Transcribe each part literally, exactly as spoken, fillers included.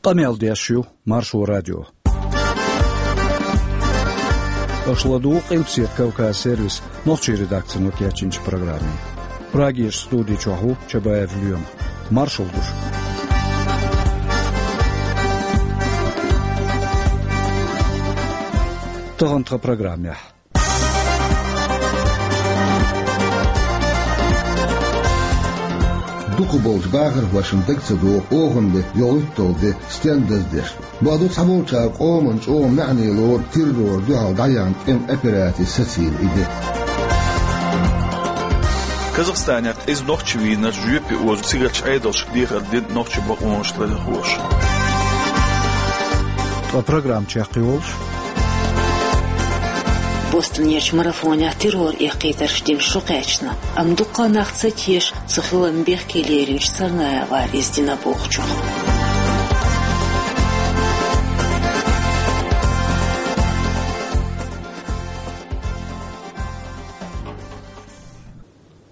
Къамел деш ю Маршо радио. Аша ладугӀу Къилбаседа Кавказ сервисан нохчийн редакцино кечйинчу программе. Прагерчу студи чохь ву Чабаев Лоьма. Маршалла ду шуьга. Тахана тхан программехь. Дукхахболчу бахархошна дага ца догӀу оханан беттан йолхуьйтталгӀа де стенна даздеш. Боху цхьаболчара къоманна чӀогӀа маьӀне лору террорна дуьхьал дӀаяьхьна тӀеман операци сацийна и де. Казахстанехь къиза нохчи вийнарш жоьпе оза цигарчу Ӏедалшка дехар дина нохчийн бакъонаш ларъярхоша. Ткъа программа чекхйолуш. Бостонерчу марафонехь террор эккхийтарш дина шо кхаьчна, амма дуккха а нах ца теша, цу хиларна бехке леринчу Царнаевас иза дина бохучух.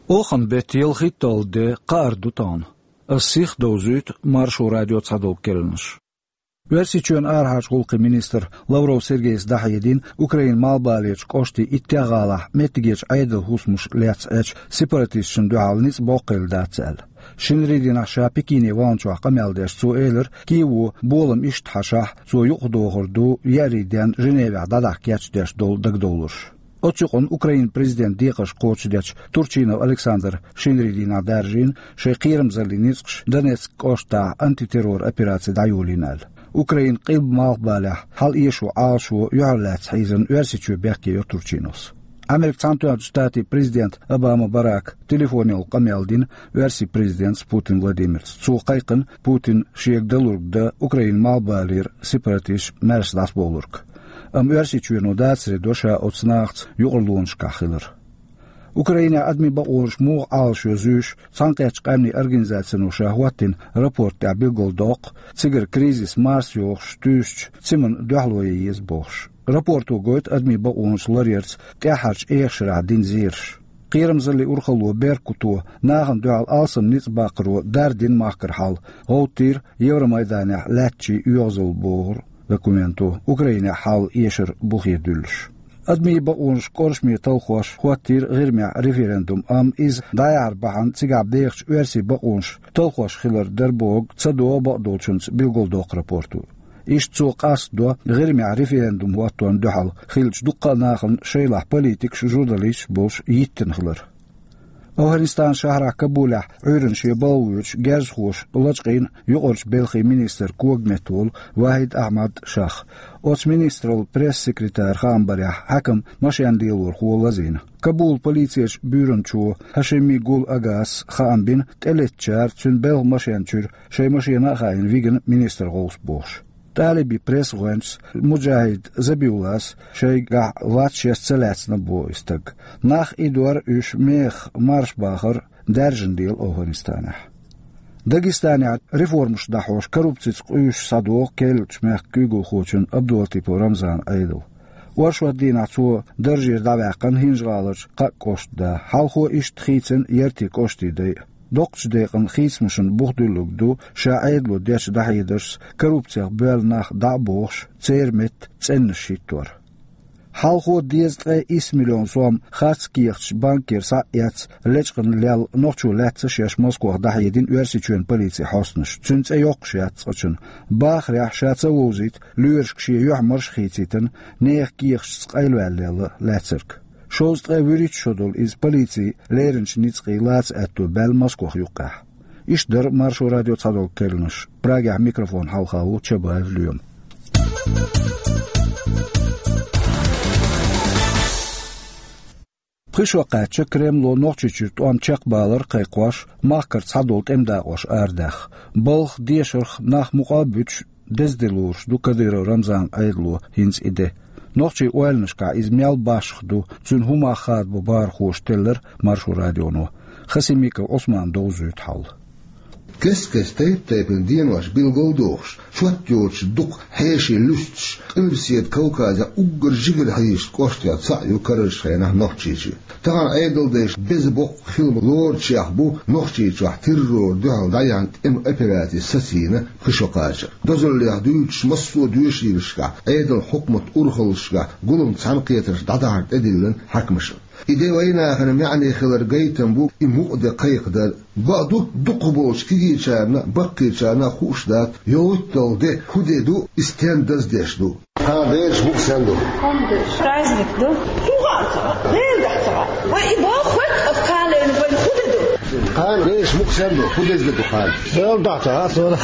Оханан беттан ялхитталгӀа де кхаара ду тахана. Ас сиха довзуьйту Маршо радион цхьадолу керланаш. Оьрсийчоьнан арахьарчу гӀуллакхийн министра Лавров Сергейс дӀахьедина Украинан малхбалерчу кӀоштийн иттех гӀалахь меттигерчу Ӏедалан хӀусамаш лецна Ӏачу сепаратисташна дуьхьал ницкъ боккха хилла дац аьлла. Шинарин дийнахь ша Пекине ваханчохь къамел деш цо элира, Киево болам иштта хьашахь, цо юкъахдохур ду еарин денна Женевехь дӀадахьа кечдеш долу дагадовларш. Оцу юкъанна Украинан президентан декхарш кхочушдечу Турчинов Александра шинарин дийнахь даржийна шайн кхерамзаллин ницкъаш Донецк кӀоштахь антитеррор операци дӀайолийна аьлла. Украинан къилба малхбалехь хьал эшо Ӏалашо юьхьарлаьцна хьийзина Оьрсийчоь бехке йо Турчиновс. Американ Цхьаьнатоьхначу Штатийн президента Обама Барака телефонехула къамел дина Оьрсийн президентаца Путин Владимирца. Цо кхайкхина, Путина шега далург дан Украинан малхбалера сепаратисташ маьрша дӀасабовлург. Амма Оьрсийчоьно дацаре до ша оцу нахаца юкъарлонашкахь хилар. Украинехь адамийн бакъонаш муха Ӏалашйо зуьйш, Цхьаьнакхеттачу Къаьмнийн Организацино ша хӀоттийна рапорт тӀехь билгалдоккху, цигара кризис марсайохуш туьйсучу цаманна дуьхьало ян еза бохуш. Рапорто гойту адамийн бакъонаш ларъярца тӀаьххьарчу эха шарахь дина зераш. Кхерамзаллин урхалло Беркуто нахана дуьхьал алсам ницкъ баккхаро дардина махкара хьал, гӀовттийра Евромайданехь лаьттачийн оьгӀазалла бохург документо, Украинехь хьал эшар бухе дуьллуш. Адамийн бакъонаш кӀоршаме талхош хӀоттийра ГӀирмехь референдум, амма иза дӀаяхьар бахьана цигахь бехачу оьрсийн бакъонаш талхош хилар дара бохург ца догӀу бакъдолчуьнца, билгалдоккху рапорто. Иштта цо къастадо ГӀирмехь референдум хӀотторна дуьхьал хиллачу дуккха а нахана, шайлахь политикаш, журналисташ болуш, йиттина хилар. АфгӀанистанан шахьарахь Кабулехь Ӏуьйранна шен балха воьдуш герзахоша лачкъийна юкъарчу белхийн министр когаметта волу Вахид Ахьмад Шах. Оцу министраллан пресс-секретаран хаам барехь, хьаькам машен лелорхо лазийна. Кабулан полицерчу буьйранчо Хашими Гул Агас хаам бина, тӀелеттачара цуьнан белхан машен чуьра шайн машена а хаийна вигина министр гӀовс бохуш. ТӀалибийн пресс-гӀоьнчас Муджахид Забиуллас шайгахь вац шеца ца лаьцна боху и стаг. Нах идор а, уьш мехах марша бахар а даьржина лела АфгӀанистанехь. Дагестанехь реформаш дӀахьош, коррупцица къуьйсуш схьадогӀу керлачу мехкан куьйгалхочун Абдулатипов Рамзанан Ӏедал. Оршот дийнахь цо даржера дӀаваьккхина ХӀинжа-ГӀаларчу кхаа кӀоштан да. Хьалхо иштта хийцина Яртин кӀоштан дай а. Доккхачу декъана хийцамашна бух дуьллург ду ша Ӏедало дечу дӀахьедаршца коррупцех боьлла нах дӀа а бохуш, церан метта цӀеннаш хӀиттор. Хьалхо дезткъе исс миллион сом харц кехаташ банкера схьа а эцна лечкъина лелла нохчо лаьцна шаьш Москох дӀахьедина Оьрсийчоьнан полицин хьостанаша. Цуьнан цӀе йоккхуш яц цкъачунна. Бахарехь, ша ца вовзийта, лоьрашка шен юьхь-марша хийцийтина, нехан кехаташца къайлаваьлла лелла лаьцнарг. Шовзткъе вуьрхӀитта шо долу иза полицин леринчу ницкъийн лаца аьтто баьлла Москох юккъехь. Иштта дара Маршо радион цхьадолу керланаш. Прагехь микрофон хьалха ву Чабаев Лоьма. Пхи шо кхаьчча, Кремло Нохчийчуьра тӀом чекхбалар кхайкхош, махкара цхьадолу тӀеман дакъош арадаьхна. Балха, дешарх нах мукъа а буьтуш, деза де лоруш ду Кадыров Рамзанан Ӏедало хӀинца и де. Нохчийн ойланашкахь иза мел башха ду, цуьнан хӀун мах хадабо бахархоша теллира Маршо радионо. Хасимиков Ӏусмана довзуьйту хьал. Кест-кеста тайп-тайпана денош билгалдохуш, чот йоцуш дукха хьеший луьстуш, Къилбаседа Кавказехь уггар жигара хьийзачу кӀоштех цхьаъ ю карарчу хенахь Нохчийчоь. Тахан Ӏедалдайша беза боккха хилма лоручех бу Нохчийчохь террора дуьхьал дӀаяхьна тӀеман операци сацийна пхи шо кхачар. Дозаллех дуьйцуш, массо а доьшийлашкахь, Ӏедалан хьукматан урхаллашкахь гулам цхьаьнакхетарш дӀадахьар тӀедиллина хьаькамашна. И де вайнахана маьӀне хилар гайтам бу, и мукъа де кхайкхадар. Бакъду, дукхах болчу кегийчарна а, баккхийчарна а хууш дац, йовттал де хӀун де ду, и стен даздеш ду. Кхана дераш букъ сен ду? Праздник ду. ХӀун хаьа ца хаьа? Дера дахьа ца хаьа? Вай и боху хӀоьтту аса кхалена вайн хӀун де ду? Кхана дераш букъ сен ду? ХӀун деза де ду кхана? Дера дахьа ца хаьа, сора.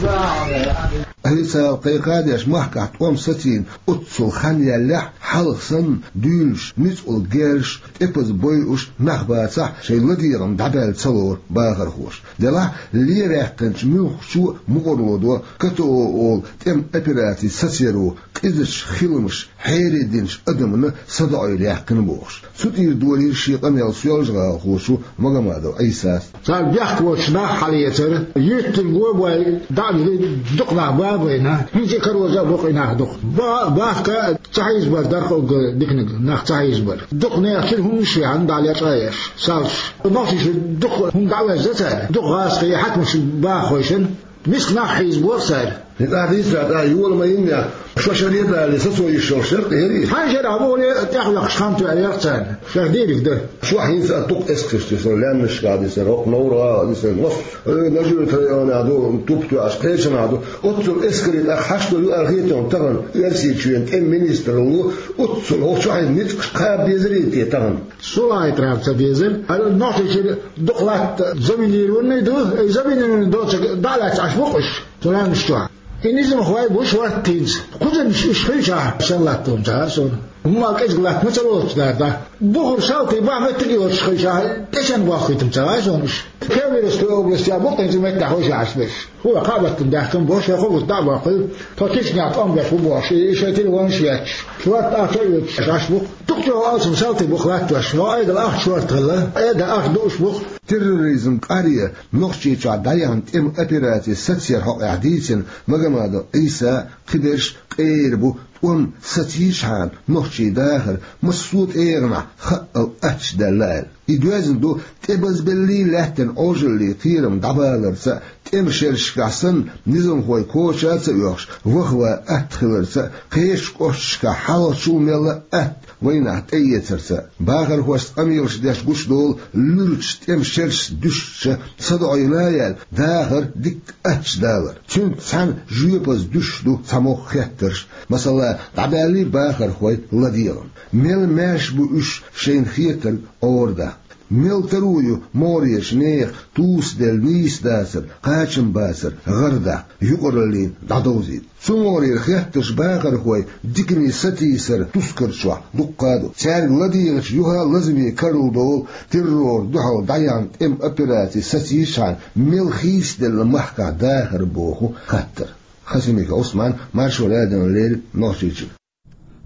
Официал кхайкхадеш махкахь тӀом сацийна оццул хан яьллехь, хьалха санна, дуьйлуш, ницкъала герзаш, тӀепаза бойуш нах бацахь, шайн ладегӀам дӀабаьлла ца лору бахархоша. Делахь, лен ваьккхинчу муьлххачо а мукъарло до, КТО олу тӀеман операци сацаро къизачу хиламаша хьерединчу адамна садоӀийла яьккхина бохуш. Цу тӀера долийра шен къамел соьлжагӀалахочо Магомадов Ӏийсас. Цара бехк боцчу нах хьалаэцара, юьртан го бой дӀа а дили, дукха нах ба а байна, хӀинца а кароза а бу-кх и нах дукха. Ба-, бахка ца хьийзабар дара-кх уггар диканиг, нах ца хьийзабар. Дукха нехан чуьра хӀуманаш а яьхьна дӀа лечкъа а еш, салш. Нохчийчуьра дукха хӀума дӀа а везна цара, дукха гӀазкхий, хьаькамаш, бахархой санна, миска нах хьийзабора цара. И тӀаьхьа дийцара, тӀаьхьа йола ма йиннехь, шо шаре а далале, сацо йиш йолуш яра-кх, яра иза? Хьайн шарахь бохура, тӀехваьккхича хан тоьар яра-кх царна. Шайх дийриг дара. Чохь хӀинца а дукха эскарш дисина, лаьмнашкахь дисина, хӀокху Новр-гӀала дисина, массо а, э, Нажи-Юьртан районехь ду, туп тоьаш, кхечанхьа ду. Оццул эскаре тӀаккха хьашт ду ю аьлла хета хьуна тахана, Оьрсийчоьнан тӀеман министралло, оццул хӀокху чохь ницкъаш кхаба дезарий те тахана? Со лаьттара ца дезара. Ара Нохчийчуьра дукха латта заминированный ду, и заминированный доцург дӀа а лаьцна Ӏаш бу-кх уьш, цу лаьмнаш чохь. И низамхой бу шортта хӀинца. Кхузанаш уьш хилчахь, сенна латто ма ца хаьара суна. ХӀумма кӀезиг латта ма ца лоцуш дара, да. Бухара салтий бахьа меттиг а йоцуш хилчахь, тӀе сенна бохкуьйту ма ца хаьа суна уьш. Кемеровская областехь бу-кх хӀинца меттехь хӀой ши Ӏаш берш. ХӀора кхаъ баттана даьхкина боху, шайн хӀокхуза дӀа а бохкуьйту, тхо Чечнехь тӀом беш бу бохуш, и шайн телефонаш а етташ, шортта ахча а оьцуш Ӏаш бу-кх. Дукха чӀогӀа алсам салтий бу-кх латтош, хӀокху Ӏедал ахча шортта хилла, Ӏеда ахча дууш бу-кх. Терроризм кӀара Нохчийчохь дӀаяхьна тӀеман операци сацаяр хьокъехь дийцина Магомадов Ӏийса, кхиберш къера бу, тӀом сацийчхьана нохчийн дахар массо а тӀегӀанехь хаъал аттачу даьлла аьлла. И доьзна ду тӀебазбеллий лаьттина Ӏожаллин кхерам дӀабаларца а, тӀеман шерашкахь санна, низамхой коча а ца оьхуш, ваха ван атта хиларца а, кхечу кӀошташкахь хьалхачул мелла а атта вайнах тӀеэцарца а. Бахархошца къамелаш деш гучудолу луьрачу тӀеман шерашца дуьстича, садоӀийла а яьлла, дахар дикка аттачу далар. Цуьнца цхьаьна жоьпаза дуьсуш ду цхьа могӀа хеттарш, масала, дӀабаьллий бахархой ладегӀам? Мел маьрша бу уьш шайна хетарг Ӏорадаккха? Мел таро ю могӀарерчу нехан тусаделла нийса дацар, кхачам бацар гӀардаккха, юкъараллина дӀадовзийта? Цу могӀарера хеттарш бахархой дикане сатийсаран тускар чохь дуккха а ду. Цаьрга ладийгӀича юха а лазаме карладолу террор дуьхьал дӀаяхьна тӀеман операци сацийчхьана мел хийцаделла махкахь дахар боху хаттар. Хасимиков Ӏусман, Маршо радиона леррина, Нохчийчуьра.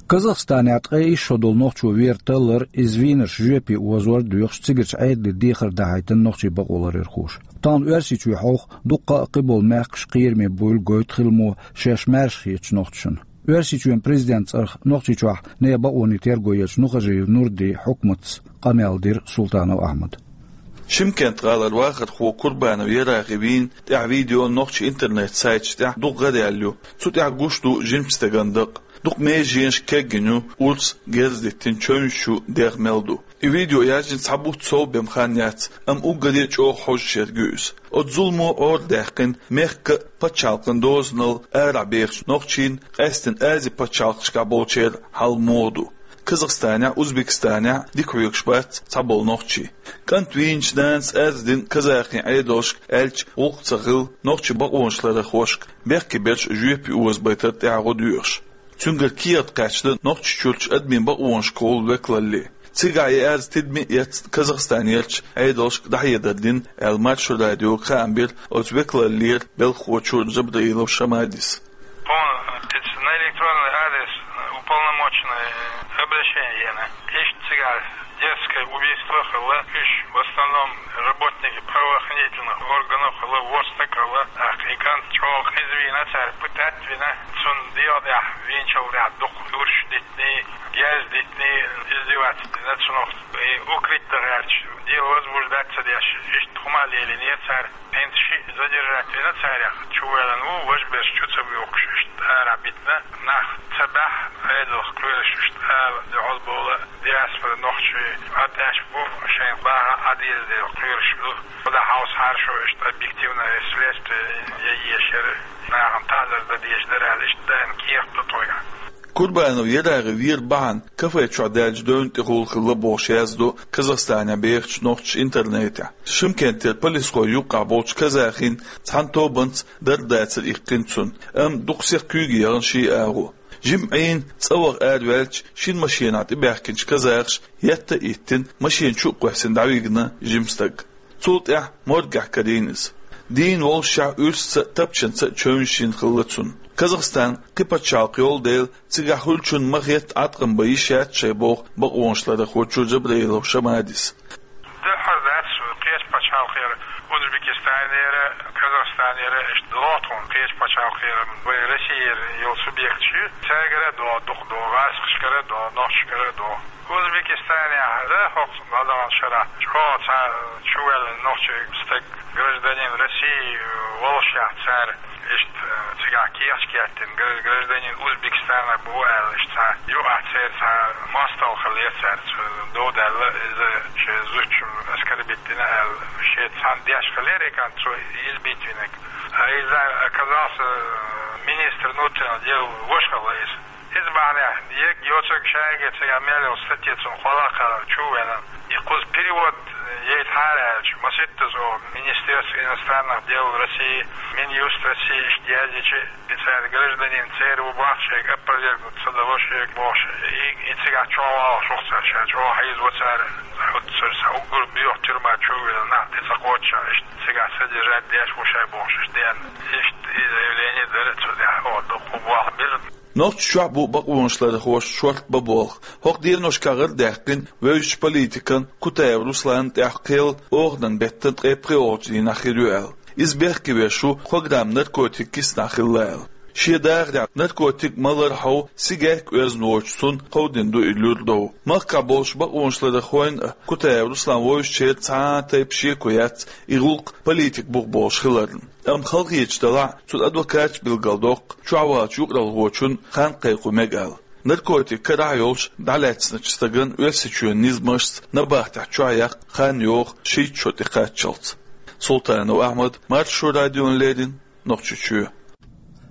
Казахстанехь ткъе исс шо долу нохчо вер таллар, иза вийнарш жоьпе озор а доьхуш, цигарчу Ӏедале дехар дахьийтина нохчийн бакъоларъярхоша. Тахана Оьрсийчоь хьовха дуккха а кхиболу мехкаш кхераме буйла гойту хиламо шаьш маьрша хетачу нохчашна. Оьрсийчоьнан президентан цӀарах Нохчийчохь нехан бакъонийн терго ечу Нухажиев Нурдин хьукматца къамел дира Султанов Ахьмада. Шымкент-гӀалара вахархо Курбанов Ярагъи вийна тӀехь видео нохчийн интернет-сайташ тӀехь дукха гӀараяьлла ю. Цу тӀехь гуш ду жимачу стеган дакъа. Дукха меженаш кегйина ю, урс герз диттина чевнаш чу дех мел ду. И видео яьржина цхьа бутт сов бен хан яц, амма уггаре а чӀогӀа хьожуш ерг ю иза. Оцу зуламо Ӏора даьккхина мехкан а, пачхьалкхан дозанал арахь бехачу нохчийн, къаьсттина Ази пачхьалкхашкахь болчеран хьал муха ду. Казахстанехь, Узбекистанехь дика хьоьгуш бац цхьаболу нохчий. КӀант вийначу нанас арз дина казахийн Ӏедалшка, аьлча, гӀуллакх ца хилла, нохчийн бакъонашларъярхошка бехке берш жоьпе озабайтар тӀехь гӀо доьхуш. Цуьнгара кехат кхаьчна Нохчийчуьрчу адамийн бакъонашкахула векалалле. Цигахь и арз тидаме а эцна, Казахстанерчу Ӏедалшка дӀахьедар дина, аьлла, Маршо радиога хаам бира оцу векалаллера белхахочо Джабраилов Шамадис. Тхуна, э, кхин а на электронный адрес, э, уполномоченный, э, обращение йина. Иштта цигахь дерзкое убийство хилла, уьш в основном работники правоохранительных органов хилла, ворхӀ стаг хилла, тӀаккха и кӀант чӀогӀа къиза вийна, цара пытать вина, цунна дегӀан тӀехь вийначул тӀаьхьа дукха гӀирсаш Дитни, герз дитни, издеваться дина цунах, и укрыть дан гӀерташ, дело возбуждать ца деш, иштта хӀума лелийнера цара. ХӀинца шиъ задержать вина царех, чувеллан ву, важа берш чу ца бохкуш, иштта ара битина, нах ца баьхьа, Ӏедалх кхоьруш, иштта ала, дуьхьал бола, диаспора нохчий, атӀеш бу, шайн багӀа Ӏадийла дела кхоьруш бу. Худа хьовса хьаршо, иштта объективное следствие я ешар, нахана таӀзар дан дезаш дара аьлла, иштта дайна кехат ду тхойга. Курбанов ЯрагӀи вер бахьана кафе чохь даьллачу девнна тӀехула хилла бохуш яздо Казахстанехь бехачу нохчаша интернетехь. Шымкентера полисхой юккъахь болчу казахин цхьана тобанца дарба дацар иккхина цунна, амма дукха сиха куьйга яхана шен агӀо. Жимма Ӏийна цӀа ваха араваьлча, шина машенахь тӀебаьхкинчу казахаша етта а йиттина, машена чу а кхоьссина дӀавигна жима стаг. Цул тӀаьхьа моргехь карийна иза. Дийна воллушехь уьрсаца а, тапчанца а чевнаш йина хилла цунна. Казахстан кхин пачхьалкх йолу дела, цигахь хуьлучунна ма-хетта Ӏаткъам бан йиш яц шайн, боху бакъонашларъярхочо Джабраилов Шамадис. Дуьххьара дац, кхечу пачхьалкхера, Узбекистанера, Казахстанера, иштта догӀу тхуна, кхечу пачхьалкхера, вай Россияра йолу субъекташ ю, цаьргара а догӀу, дукха догӀу, гӀазкхашкара а догӀу, нохчашкара а догӀу. Узбекистанехь а хӀокху дӀадаханчу шарахь чӀогӀа цхьа чувелла нохчийн стаг, гражданин России, воллушехь цара, иштта, цигахь кехаташ кхеттина, гра-, гражданин Узбекистана бу аьлла, иштта цхьа юкъахь церан цхьа мостагӀа хиллера цаьрца, дов даьлла, иза шен зудчун оскорбить дина аьлла, шеца цхьаьна деш хиллера и кхин цо, избить винарг. А иза оказался министр внутренних дел ваша хилла иза. Иза бахьанехь, ерриг йоцург шайга цигахь мел йолу статья цунна кхолла а кхаьллина, чу а веана, и кхуза перевод яйтахьара аьлча, масийттаза оха Министерство иностранных дел России, Минюст России иштта яздича, и цара гражданин церан ву боху, шайга опровергнуть ца дало шайга бохуш, и, и цигахь чӀогӀа валлалц ву цара, ша чӀогӀа хьийзаво цара, хӀуттуьра сан уггар боьха тюрьма чу а веана, нах тӀе ца кхоччуш, иштта цигахь содержать деш ву шай бохуш, иштта деана. Иштта и заявление дара цу тӀехь, оха дукха болх бира. Нохчийчохь бу бакъонашларъярхоша шорта бан болх. ХӀокху деношкахь гӀара даьккхина вевзачу политикан Кутаев Русланна тӀехь кхел оханан беттан ткъе пхоьалгӀачу дийнахь хир ю аьлла. Иза бехке веш ву, кхо грамм наркотик киснахь хилла аьлла. Шен дахарехь наркотик малар хьов сигарг оьзна воцучу цунна кховдина ду и луьра дов. Махкахь болчу бакъонашларъярхойн а, Кутаев Руслан вовзачеран цхьа а тайпа шеко яц и гӀуллакх политик бух болуш хиларна. Амма халахеташ делахь а, цуьнан адвокаташа билгалдоккху, чохь валлачу юкъаралхочунна хан кхайкхо мега аьлла. Наркотик карахь а йолуш дӀалаьцначу стагана Оьрсийчоьнан низамашца набахтехь чохь яккха хан йогӀу шийтта шо тӀекхаччалц. Султанов Ахьмад, Маршо радиона леррина, Нохчийчоь.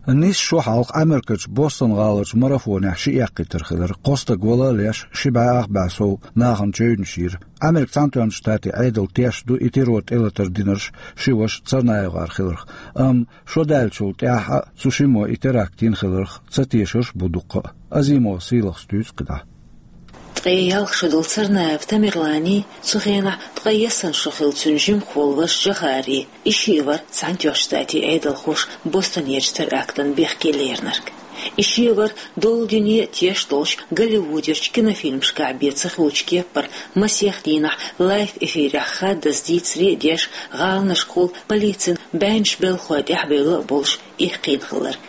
Нийсса шо хьалха Америкерчу Бостон-гӀаларчу марафонехь ши эккхийтар хилира. Кхо стаг вала а леш, ши бӀе ах бӀе сов нахана чевнаш йира. Америкин Цхьаьнатоьхначу Штатийн Ӏедал тешна ду и террор тӀелатар динарш ши ваша ЦарнаевгӀар хиларх. Амма шо даьллачул тӀаьхьа а цу шиммо и теракт йина хиларх ца тешарш а бу дуккха а. Азимова Сийлахас дуьйцу кхидӀа. Ткъе ялх шо долу Царнаев Тамерланий, цу хенахь ткъе ялх шо хилла цуьнан жимахволу ваша Джохарий, и шиъ вара Цхьаьнатоьхначу Штатийн Ӏедалхоша Бостонерчу терактан бехке леринарг. И шиъ вара долу дуьне а тешаш долчу Голливудерчу кинофильмашкахь бен ца хуьлучу кеппара масех дийнахь лайв-эфирехь хаддаза дийцаре а деш, гӀаланашкахула полицин бӀеннаш белхахой тӀаьхьабевлла а болуш, эккхийна хилларг.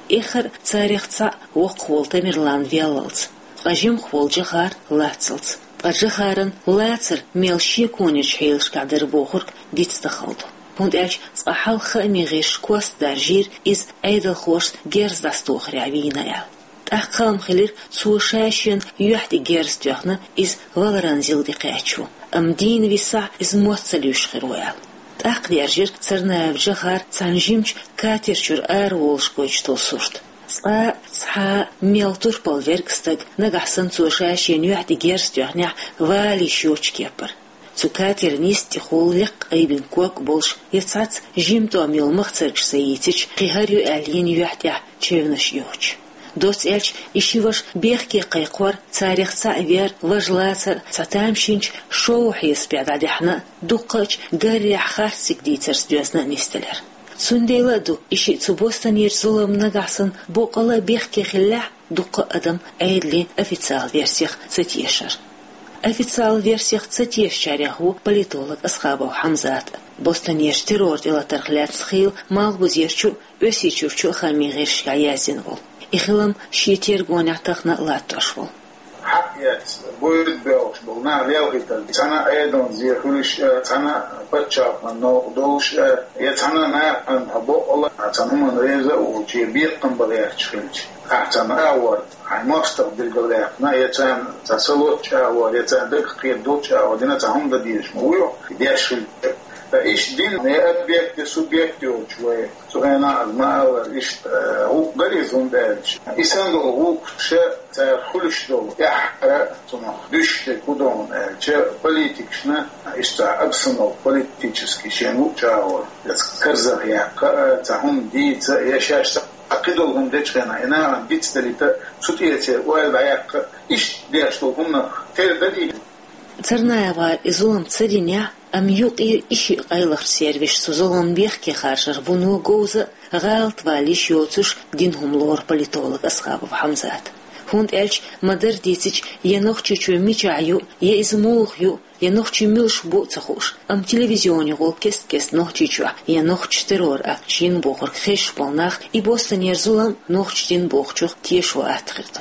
Эххар а царех цхьаъ воккхах волу Тамерлан веллалц, ткъа жимахволу Джохар лацалц. Ткъа Джохаран лацар мел шеконечу хьелашкахь дара бохург дицдан хала ду. ХӀунда аьлча цкъа хьалха хаамийн гӀирсаша кост даржийра иза Ӏедалхошца герз дӀасатохарехь вийна аьлла. ТӀаккха хаам хилира, цо ша шена юьхь тӀе герз тоьхна, иза валаран зил де кхаьчна ву, амма дийна висахь, иза мотт ца луьйш хир ву аьлла. ТӀаккха даьржира Царнаев Джохар цхьана жимачу катер чуьра араволуш гойтуш долу сурт. Цкъа а цхьа а мел турпал верг стаг, нагахь санна цо ша шена юьхь тӀе герз тоьхнехь, вала йиш йоцучу кеппара. Цу катеран йисте тӀехула лекха айбина ког а болуш, я цхьацца жима тӀом йолу махцаргаш ца йийцича, кхин хӀара ю аьлла йина юьхь тӀехь чевнаш а йоцуш. Доцца аьлча, и ши ваша бехке кхайкхор, царех цхьаъ вер, важа лацар цхьа тамашийначу шоу хьесапехь дӀадаьхьна а, дуккхачу гарехь харцдерг дийцарца доьзна а нисделира. Цундела а ду и шиъ цу Бостонерчу зуламна нагахь санна боккъала а бехке хиллехь, дуккха а адам Ӏедалан официал версех ца тешара. Официал версех ца тешачарех ву политолог Асхабов Хьамзат а, Бостонерчу террор тӀелатарх лаьцна хийла Малхбузерчу а, Оьрсийчуьрчу а хаамийн гӀирсашкахь яздина волу. И хилам шен тергонехь тахана а латтош волу. Хьаъ яц, бойда боьлхуш болу нах лелхийтар. Цхьана а Ӏедалан зе хуьлуш а, цхьана а пачхьалкхан новкъа долуш а, я цхьана а нахана хьо боккъала а цхьана хӀуманна реза а волчу, я бекхам бан гӀерташ хилча, ахь цхьана агӀор хьайн мостагӀа билгалъяьккхина, я царна цхьа салоцчу агӀор, я царна дагах кхетар долчу агӀор дина цхьа хӀума дан дезаш ма вуй хьо, деш хилча. Ткъа иштта дина я объект, я субъект йолчу вай, цу хенахь ма-аллара, иштта, э, гӀуллакх гара иза, хӀунда аьлча и санна долу гӀуллакхаш цара хуьлуш долу тӀаьххьара цунах дуьсуш дерг хӀун ду аьлча, политикашна иштта цхьа обстановка политически шен луъучу агӀор, я цхьа карзах яккха а, цхьа хӀума дийца а, я шаьш цхьа кхидолу хӀума дечу хенахь и нахана дицдалийта а, цу тӀе церан ойла дӀаяккха а, иштта деш долу хӀуманах тера дара и. ЦарнаевгӀара и зулам ца динехь, амма юкъара и шиъ къайлахчу сервисо цу зуламна бехке харжар вуно говза а, гӀалатвала йиш йоцуш дина хӀума лору политолог Асхабов Хьамзата. ХӀунда аьлча ма-дарра дийцича, я Нохчийчоь мичахь ю, я иза муха ю, я нохчий муьлш бу а ца хууш, амма телевизионехула кест-кеста Нохчийчохь я нохчаша террор-акташ йина бохург хезаш болу нах и Бостонера зулам нохчаша дина бохучух тешо атта хир ду.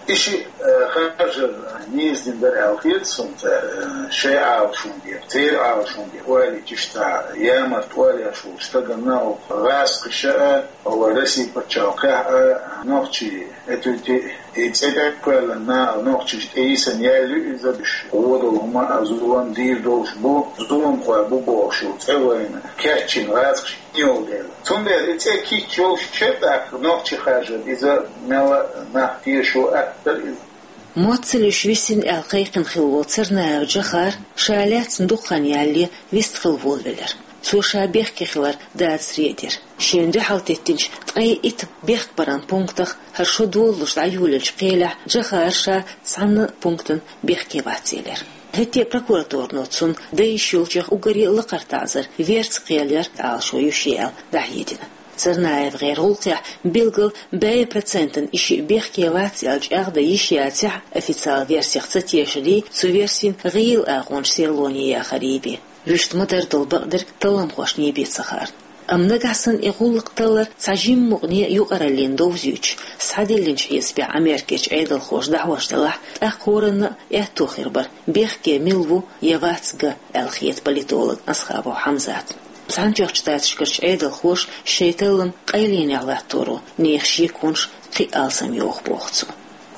И шиъ, э, харжар нийса дина дара аьлла хета суна цара, э, шайн Ӏалашонна дехьа, церан Ӏалашонна дехьа ойла йича, иштта цхьа ямарта ойла еш волчу стаганна, оха гӀазкхаша а, оха Россин пачхьалкхехь а, нохчий, этуьти, и цӀе тӀе а кхоьллина, нохчашна тӀейисина яьлла ю иза, уьш вон долу хӀума а, зулам дийр долуш бу, зуламхой бу бохуш йолу цӀе вайна кечйина гӀазкхаша йолу дела. Цундела и цӀе кийча йолуш ю тӀаккха нохчий харжар, иза мелла а нах тешо атта дара иза. Мотт ца луьйш висина аьлла кхайкхина хилла волу Царнаев Джохар ша лаьцна дукха хан ялале вистхила волавелира. Цо ша бехке хилар дацаре а дира. Шена дуьхьал теттинчу ткъе итт бехкбаран пунктах хӀара шо долалуш дӀайолаелчу кхелехь Джохар ша цхьана а пунктана бехке вац элира. ХӀетте а прокуратуро цунна дайша йолчех уггаре а лакхара таӀзар, верца кхел яр Ӏалашо ю шен аьлла дӀахьедина. ЦарнаевгӀеран гӀуллакхехь билггал бӀе процентана и шиъ бехке вац аьлла чӀагӀдан йиш яцахь а, официалан версех ца тешале, цу версин гӀийла агӀонаш серлоне яхарий бен. Вуьшта ма-дарра долу бакъдерг талламхошний бен ца хаарна. Амма нагахь санна и гӀуллакх таллар цхьа жимма мукъане а юкъараллина довзуьйтуш, схьадиллинчу хьесапехь Америкерчу Ӏедалхоша дӀахьош делахь, тӀаккха хӀоранна а аьтто хир бара, бехке мила ву я вац ган аьлла хета политолог Асхабов Хьамзатна. Цхьаьнатоьхначу Штаташкарчу Ӏедалхоша шайн таллам къайленехь латторо нехан шеконаш кхин а алсам йоху боху цо.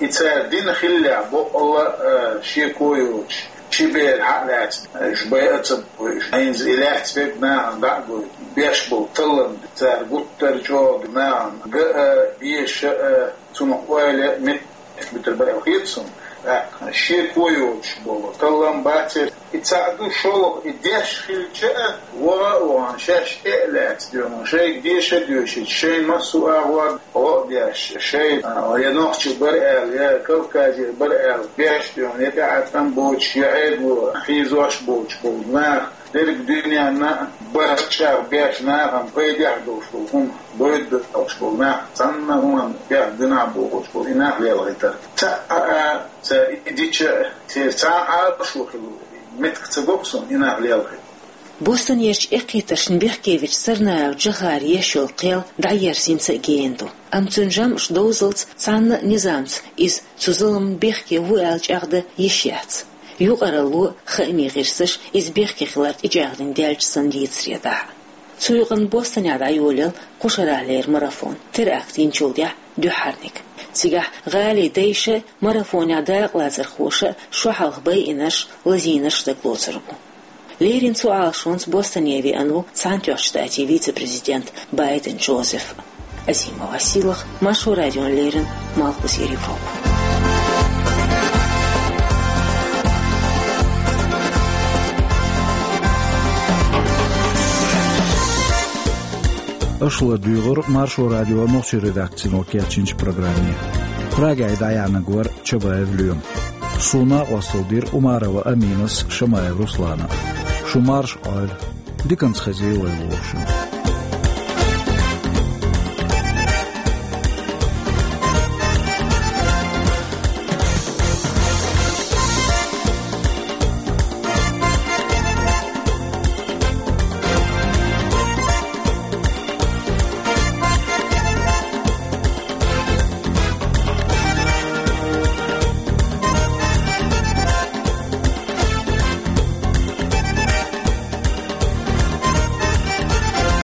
И цара дина хиллехь, бакъалла а, э, шеко йоцуш, ши бер хьа а лаьцна, уьш байа а ца бойуш, хӀинца и лаьцна берг нахана дӀа а гойтуш, беш болу таллам цара гуттар а чӀогӀа нахана ган а, беша а, цунах ойла а меттиг буьтур бара аьлла хета суна. ТӀаккха шеко йоцуш болу таллам бацара. И цхьаъ ду, шолгӀа и деш хилча а, ваха а вахана, шаьш тӀе а лаьцна дуьйна, шайга деша а доьшуьйтуш, шайн массо а агӀор гӀо а деш, шайн, а, я нохчий бара аьлла, я Кавказера бара аьлла, беш дуьйна, я тӀаьхьа тӀам боцуш, я Ӏедало хьийзош боцуш болу нах, дерриг дуьненна а барт чӀагӀ беш, нахана пайдехь долуш долу хӀума, бойда долуш болу нах, цхьанна а хӀуманна бехк дина бохуш болу и нах лелхийтар. Цхьа а, а, ца и дича а, церан цхьа а Ӏалашо хилла меттиг ца го-кх суна и нах лелхийта. Бостонерчу эккхийтаршна бехкевечу Царнаев Джохара еш йолу кхел дӀаерзийна ца а гена ду. Амма цуьнан жамӀаш довзалц цхьанна а низамца иза цу зуламна бехке ву аьлла чӀагӀдан йиш яц. Юкъаралло а, хаамийн гӀирсаша иза бехке хилар тӀечӀагӀдина даьлча санна дийцаре дахьа. Цу юкъанна Бостонехь дӀайолаелла кху шарахь леррина марафон, теракт йинчул тӀаьхьа дуьххьарниг. Цигахь гӀалин дайша а, марафонехь дакъалацархоша а шо хьалха байинарш, лазийнарш дагалоцур бу. Леррина цу Ӏалашонца Бостоне веана ву Цхьаьнатоьхначу Штатийн вице-президент Байден Джозеф. Азима Василах, Маршо радиона леррина, Малхбузера Европа. Аша ладуьйгӀура Маршо радион нохчийн редакцино кечйинчу программе. Прагехь дӀаяьхьнарг вара Чабаев Лоьма. Суна накъосталла дира Умарова Аминас, Шамаев Руслана. Шу марша Ӏойла. Диканца хезий вай вовшашна.